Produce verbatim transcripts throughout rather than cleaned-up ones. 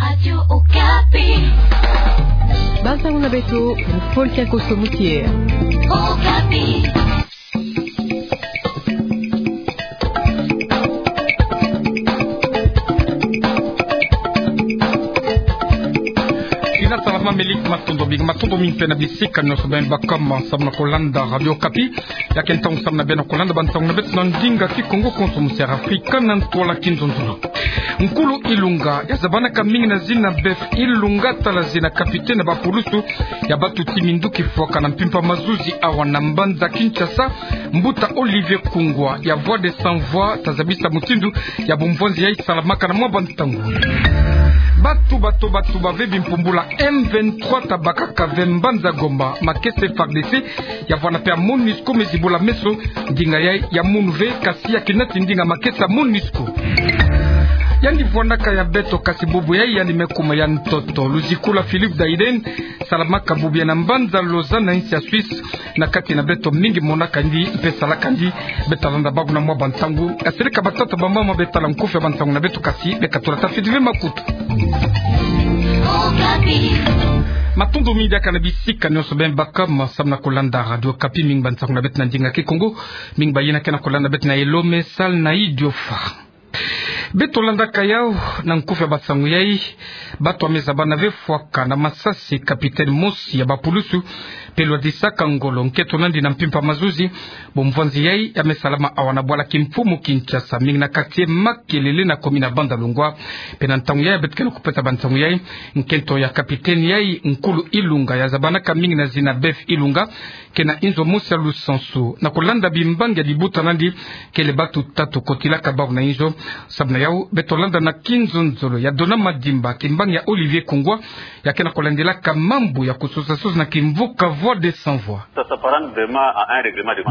Radio Okapi. Bansango na beto, Paul Kiakoso Moutier. Okapi. Ina salama, matondo mingi, matondo mingi mpe na bisika nyonso beno baka ma samu na kolanda Radio Okapi. Ya ke ntangu samu na beno kolanda bansango na beto na ndinga Kikongo konso mu Sierra Afrika na ntwala kinzonzolo. Nkulu Ilunga ya zabanaka mingi na zina Beth Ilunga, tala zina capitaine ya bapulusu ya batuti minduki fwaka na mpimpa mazuzi awa na mbanza Kinshasa, mbuta Olivier Kungwa ya Voix des Sans Voix ta zabisa mutindu ya bumvwanzi yayi salamaka na mwa bantangu. Batu, batu, batu bave bimpumbula M vingt-trois ta bakaka ve mbanza Goma makesa F A R D C, ya vwana mpe ya MONUSCO me zibula meso. Ndinga yayi ya munu ve, kasi ya ke nati ndinga makesa MONUSCO. Yandi vwanaka ya beto, kasi bubu yayi yandi me kuma ya ntoto. Luziku la Philippe Dayden salamaka bubu yayi na mbanza Lausanne na insi ya Suisse. Na kati na beto, mingi monaka yandi mpe salaka yandi. Beta landa bawu na mwa bantangu. Asereka batata bamama, beta la nkufi ya bansango na beto, kasi beka tula tafiti ve makutu. Matondo mingi diaka na bisika nyonso beno baka ma samu na kolanda Radio Okapi. Mingi bansango na beto na ndinga Kikongo, mingi bayina ke na kolanda beto na Elombe, Sal na Idiofa. Beto landaka yawu na nkufi ya bansango yayi. Batu ya me zabana ve fwaka na masasi capitaine mosi ya bapulusu, mpe lwadisaka ngolo nkento na yandi na mpimpa mazuzi. Bumvwanzi yayi ya me salama awa na bwala kimfumu Kinshasa, mingi na quartier Makelele na commune ya Bandalungwa. Mpe na ntangu yayi beto ke na kupesa bansango yayi, nkento ya capitaine yayi, Nkulu Ilunga, ya zabanaka mingi na zina Beth Ilunga, ke na inzo mosi ya lusansu. Na kolanda bimbangi ya libuta na yandi, kele batu tatu kotilaka bawu na inzo. Samu na yawu, beto landa na kinzonzolo ya Dona Madimba kimbangi ya Olivier Kungwa, ya ke na kolandilaka mambu ya kusosasosa na kimvuka Voix des Sans Voix.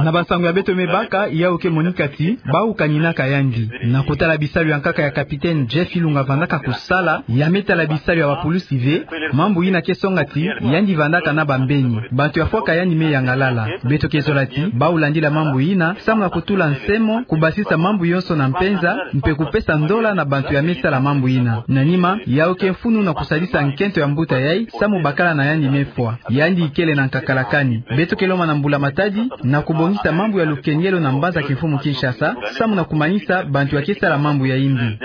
Na bansango ya beto me baka, yawu ke monika ti bawu kaninaka yandi. Na kotala bisalu ya nkaka ya capitaine Jeff Ilunga vandaka kusala, ya me tala bisalu ya bapulusi ve, mambu yina ke songa ti yandi vandaka na bambeni. Bantu ya fwaka yandi me yangalala. Beto ke zola ti bawu landila mambu yina samu na kutula nsemo, kubasisa mambu yonso na mpenza, mpe kupesa ndola na bantu ya me sala mambu yina. Na nima, yawu ke mfunu na kusalisa nkento ya mbuta yayi samu bakala na yandi me fwa. Yandi ikele na nkakala kani. Beto ke lomba na mbula matadi na kubongisa mambu ya lukengelo na mbanza kimfumu Kinshasa, samu na kumanisa bantu ya ke sala mambu ya yimbi.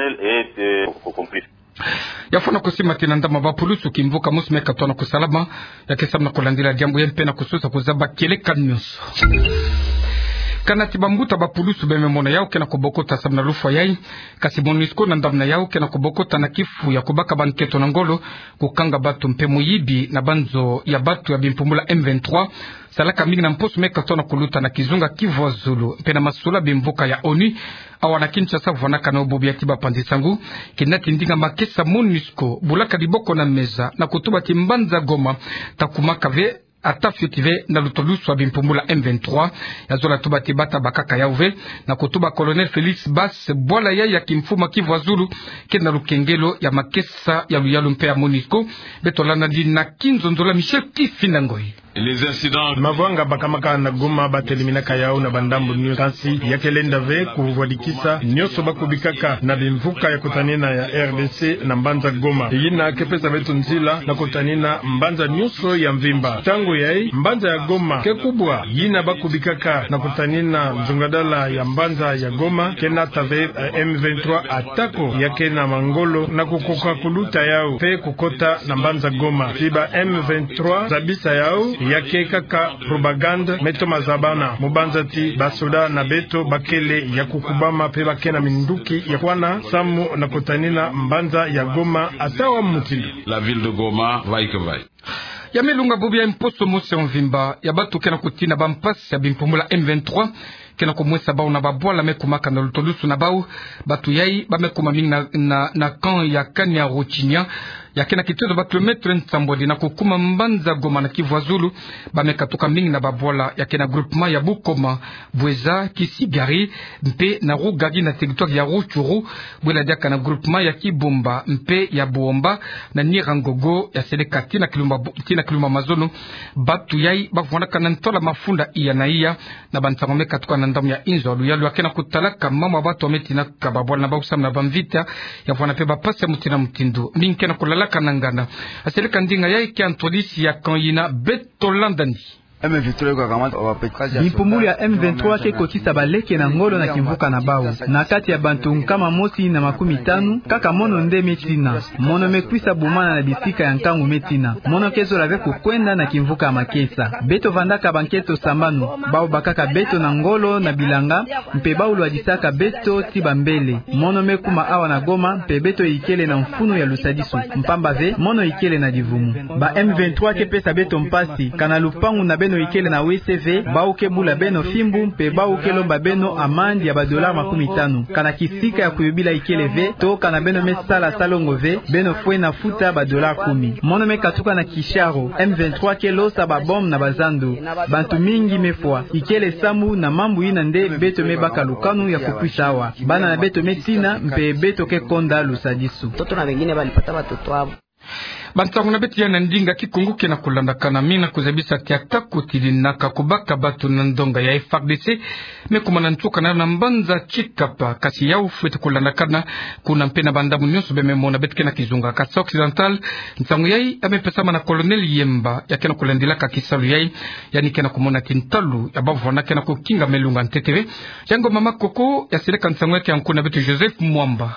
Ya fwana kusimba ti na ndambu ya bapulusu kimvuka mosi me katwa na kusalama, ya ke samu na kulandila diambu yayi mpe na kusosa kuzaba kieleka nyonso. Kana ti bambuta bapulusu be me mona yawu ke na kubokota samu na lufwa yayi, kasi MONUSCO na ndambu na yawu ke na kubokota na kifu ya kubaka bankento na ngolo, kukanga batu mpe muyibi na banzo ya batu ya bimpumbula M vingt-trois, salaka mingi na mposo me katwa na kuluta na kizunga Kivu ya Zulu, mpe na masula bimvuka ya ONU awa na Kinshasa, vwanaka na bubu ya ti bapanzi-nsangu, ke nati ndinga makesa MONUSCO bulaka diboko na meza na kutuba ti mbanza Goma ta kumaka ve, ata fioti ve na lutulusu ya bimpumbula M vingt-trois. Ya zola tuba ti bata bakaka yawu ve, na kutuba Colonel Félix Basse, bwala yayi ya kimfumu Kivu ya Zulu ke na lukengelo ya makesa ya luyalu mpe ya MONUSCO. Beto landa yandi na kinzonzolo ya Michel Kifinda Ngoyi. Mavwanga bakamaka na Goma bateleminaka yawu na bandambu nyonso, kansi ya ke lenda ve kuvwadikisa nyonso bakubikaka na bimvuka ya kutanina ya R D C na mbanza Goma. Yina ke pesa beto nzila na kutanina mbanza nyonso ya mvimba. Ntangu yayi, mbanza ya Goma ke kubwa. Yina bakubikaka na kutanina nzungadala ya mbanza ya Goma ke nata ve, eh, M vingt-trois, atako ya ke na mangolo na kukoka kuluta yawu mpe kukota na mbanza Goma. Ti ba M vingt-trois zabisa yawu, ya ke kaka propagande, me toma zabana, mu banza ti basoda na beto bakele ya kukubama mpe ba ke na minduki ya kwana samu na kutanina mbanza ya Goma ata wa mutindu. La ville de Goma, vaille que vaille. Ya me lunga bubu ya mposo mosi ya mvimba, ya batu ke na kutina bampasi ya bimpumbula M vingt-trois ke na kumwesa bawu na babwala me kumaka na lutulusu na bawu. Batu yayi ba me kuma mingi na, na, na camp ya Kanyaruchinya, ya ke na kitutu ba kilomètre nsambwadi na kukuma mbanza Goma na Kivu ya Zulu. Ba me katuka mingi na babwala ya ke na groupement ya Bukoma, Bweza, Kisigari, mpe na Rugari na territoire ya Rutshuru, bwela diaka na groupement ya Kibumba mpe ya Buomba, na Nyiragongo, ya seleka tii na Kilumba, tii na Kilumba Mazono. Batu yayi ba vwanaka na ntola mafunda iya na iya, na bansango me katuka na ndambu ya inzo ya luyalu, ya ke na kutalaka mambu ya bato ya me tinaka babwala na bau samu na bamvita, ya vwanda mpe bampasi ya mutindu na mutindu. Mingi ke na kulalaka na ngana. Aseleka ndinga yayi kia ntwadisi ya camp yina, beto landani. Bimpumbulu ya M vingt-trois ke kotisa baleke na ngolo na kimvuka na bau. Na kati ya bantu nkama mosi na makumi tanu, kaka mono nde me tina. Mono me kwisa bumana na bisika ya nkangu me tina. Mono ke zola ve kukwenda na kimvuka ya Makesa. Beto vandaka bankento sambanu, bau bakaka beto na ngolo na bilanga, mpe bau lwadisaka beto tii bambele. Mono me kuma awa na Goma, mpe beto ikele na mfunu ya lusadisu, mpamba ve mono ikele na divumu. Ba M vingt-trois ke pesa beto mpasi, kana lupangu na beno ikele na wese ve, bau ke bula beno fimbu, mpe bau ke lomba beno amande ya ba dollars makumi tanu. Kana kisika ya kuyobila ikele ve, to kana beno me sala salongo ve, beno fwene futa ba dollars kumi. Mono me katuka na kisharo, M vingt-trois ke losa ba bombe na bazando. Bantu mingi me fwa. Ikele samu na mambu yina nde beto me baka lukanu ya kukwisa awa. Bana na beto me tina, mpe beto ke konda lusadisu. Bansangu na beto ya na ndinga Kikongo ke na kulandakana. Mingi na kuzabisa ti ata kutidi na ka kubaka bato na ndonga ya F A R D C me kuma na nsuka na yo na mbanza Tshikapa, kasi yau fwete kulandakana kuna mpe na bandambu nyonso be me mona beto ke na kizunga Kasaï Occidental. Nsangu yayi ya me pesama na Colonel Yemba, ya ke na kulandilaka kisalu yayi, yandi ke na kumona ti ntalu ya bavwanda ke na kukinga me lunga ntete ve. Jean Ngoma Makoko ya seleka nsangu yayi kia nku na beto Joseph Mwamba.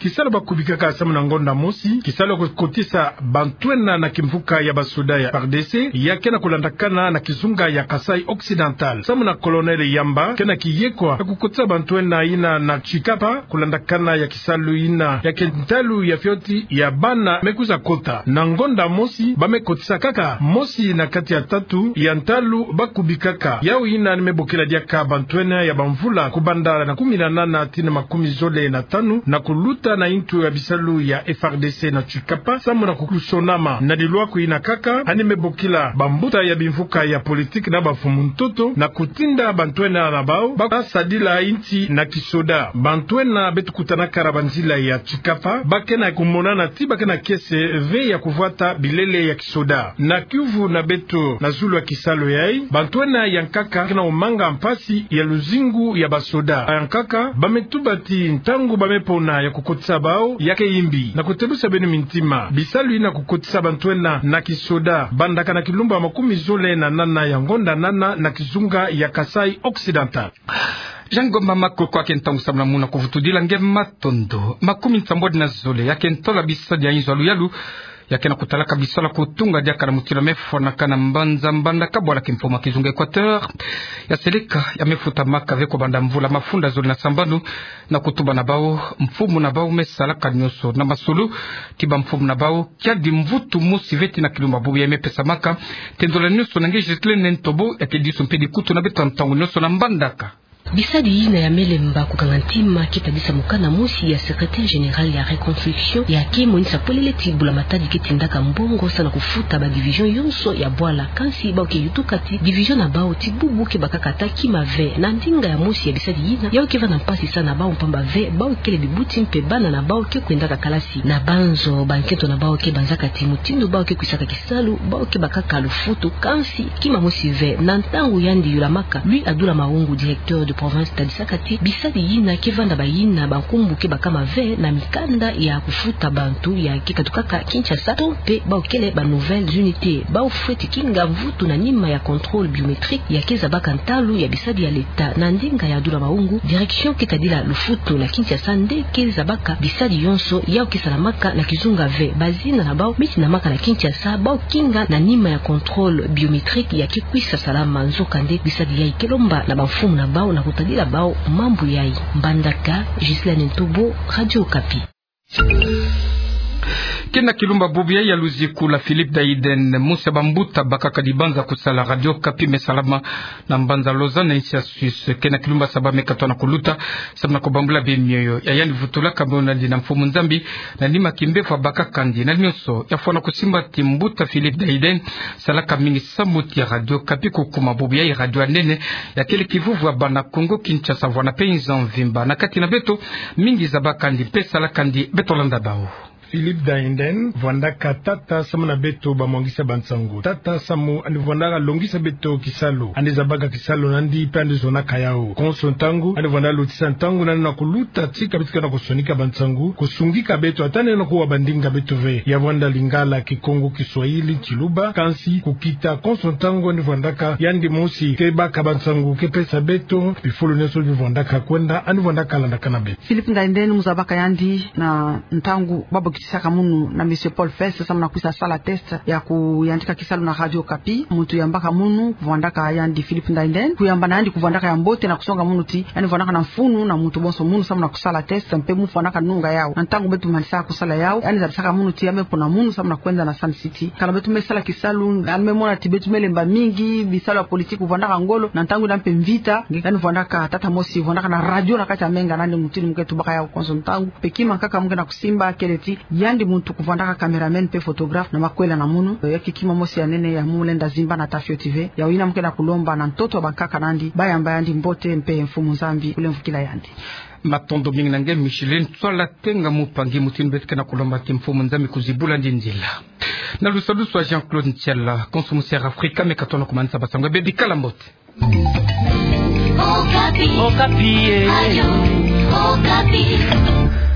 Kisalu ba kubikaka samu na ngonda mosi, kisalu ya kukotisa bantu ena na kimvuka ya basoda ya F A R D C, ya ke na kulandakana na kizunga ya Kasaï Occidental. Samu na Colonel Yemba, ke na kiyekwa ya kukotisa bantu ena yina na Tshikapa, kulandakana ya kisalu yina ya ke ntalu ya fioti ya bana me kwiza kota. Na ngonda mosi, ba me kotisa kaka mosi na kati ya tatu ya ntalu ba kubikaka. Yau yina ni me bokila diaka bantu ena ya bamvula kubanda na kumi na nana tii na makumi zole na tanu, na kuluta na intu ya bisalu ya F A R D C na Tshikapa, samu na kukusonama. Na dilwaku yina kaka, yandi me bokila bambuta ya bimvuka ya politiki na bamfumu ntoto, na kutinda bantu ena na bau ba sadila insi na kisoda. Bantu ena beto kutanaka na banzila ya Tshikapa, ba ke na kumonana ti ba ke na kiese ve ya kuvwata bilele ya kisoda. Na kiuvu na beto na zulu ya kisalu yayi, bantu ena ya nkaka ke na kumanga mpasi ya luzingu ya basoda. Ya nkaka, ba me tuba ti ntangu ba me pona ya kukotisa bau ya ke yimbi. Na kutebusa beno mintima, bisalu yina kukotisa bantu ena na kisoda, bandaka na kilumbu ya makumi zole na nana ya ngonda nana na kizunga ya Kasaï Occidental. Jean Ngoma Makoko, ke ntangu samu na muna kuvutudila nge matondo. Makumi nsambwadi na zole ya ke ntola bisadi ya inzo ya luyalu ya ke na kutalaka bisalu ya kutunga diaka na mutindu ya me fwanakana mbanza Mbandaka, bwala kimfumu ya kizunga Equateur ya seleka ya me futamaka ve kubanda mvula mafunda zole na sambanu, na kutuba na bau, mfumu na bau me salaka nyonso na masolo ti bamfumu na bau, kiadi mvutu mosi ve tii na kilumbu ya bubu ya me pesamaka. Te ndola nyonso na nge Ghislaine Ntobo, ya ke disu mpe dikutu na beto ntangu nyonso na Mbandaka. Bisadi yina ya me lemba kukanga ntima ke tadisa mukanda mosi ya secrétaire général ya reconstruction, ya ke monisa polele ti bula matadi ke tindaka mbongo samu na kufuta ba division yonso ya bwala. Kansi bau ke yutuka ti division na bau ti bubu ke bakaka ata kima ve. Na ndinga ya mosi ya bisadi yina, yau ke vanda mpasi samu na bau mpamba ve bau kele bibuti mpe bana na bau ke kwendaka kalasi. Na banzo, bankento na bau ke banzaka ti mutindu bau ke kwisaka kisalu, bau ke bakaka lufutu, kansi kima mosi ve. Na ntangu yandi yulamaka, Louis Adoula Mahungu, directeur de province, tadisaka ti bisadi yina ke vanda bayina bankumbu ke bakama ve na mikanda ya kufuta bantu ya ke katukaka Kinshasa, to mpe bau kele ba nouvelles unités. Bau fweti kinga mvutu na nima ya contrôle biométrique ya ke zabaka ntalu ya bisadi ya l'État. Na ndinga ya Adoula Mahungu, direction ke tadila lufutu na Kinshasa nde ke zabaka bisadi yonso yau ke salamaka na kizunga ve. Bazina na bau me tinamaka na Kinshasa, bau kinga na nima ya contrôle biométrique ya ke kwisa salama. Nzokande bisadi yayi ke lomba na bamfumu na bau na kutadila bau mambu yayi. Mbandaka, Ghislaine Ntobo, Radio Okapi. Ke na kilumbu ya bubu yayi ya luziku la Philippe Dayiden, mosi ya bambuta bakaka dibanza kusala Radio Okapi me salama na mbanza Lausanne, insi ya Suisse. Ke na kilumbu ya saba me katoa na kuluta samu na kubambula bemioyo ya yandi vutulaka mionandi na mfumu Nzambi na nima ya kimbevo ya bakakandi. Na nyonso, ya fwana kusimba ti mbuta Philippe Dayiden salaka mingi samu ti Radio Okapi, kukuma bubu yayi radio ya nene ya kele kivuvu ya bana Kongo Kinshasa vwanda mpe inzo mvimba. Na kati na beto, mingi zabakandi mpe salakandi. Beto landa bau. Philippe Dainden vwandaka tata samu na beto bamwangisa bansangu. Tata samu yandi vwandaka longisa beto kisalu. Yandi zabaka kisalu na yandi mpe yandi zonaka yawu. Konso ntangu, yandi vwanda lotisa ntangu na yandi na kuluta tika beto ke na kusonika bansangu, kusungika beto, ata nde na kuwa bandinga beto ve. Ya vwanda Lingala, Kikongo, Kiswahili, Kiluba, kansi kukita konso ntangu yandi vwandaka yandi mosi ke baka bansangu, ke pesa beto bifulu nyonso bi vwandaka kwenda, yandi vwandaka landaka na beto. Philippe Dainden mu zabaka yandi na ntangu ba bokitisaka munu na Monsieur Paul Fesse, samu na kwisa sala test ya kuyantika kisalu na Radio Okapi. Muntu yambaka munu, kuvwandaka yandi Philippe Dainden. Kuyamba na yandi kuvwandaka ya mbote na kusonga munu ti yandi vwandaka na mfunu na muntu bonso munu samu na kusala test, mpe mu vwandaka nunga yawu. Na ntangu beto manisaka kusala yawu, yandi zabisaka munu ti ya me pona munu samu na kwenda na Sun City. Kana beto me sala kisalu, yandi me mona ti beto me lemba mingi, bisalu ya politique vwandaka ngolo, na ntangu yina mpe mvita, nge yandi vwandaka tata mosi, vwandaka na radio na kati ya menga na yandi, mutindu mu ke tubaka yawu konso ntangu. Mpe kima nkaka mu ke na kusimba kele ti yandi muntu kuvwandaka cameraman mpe photographe na makwela na munu. Ya ke kima mosi ya nene ya mu lenda zimba na ta fioti ve. Yawu yina mu ke na kulomba na ntoto ya bankaka na yandi, bayamba yandi mbote mpe Mfumu Nzambi kulemvukila yandi. Matondo mingi na nge Micheline Tswala Tenga, mupangi, mutindu beto ke na kulomba ti Mfumu Nzambi kuzibula yandi nzila. Na lusadusu ya Jean-Claude Ntiala, konso mu Sierra Africa me ka tona kumanisa basangu ya bebi, kala mbote. Okapi. Okapi, eh. Radio Okapi.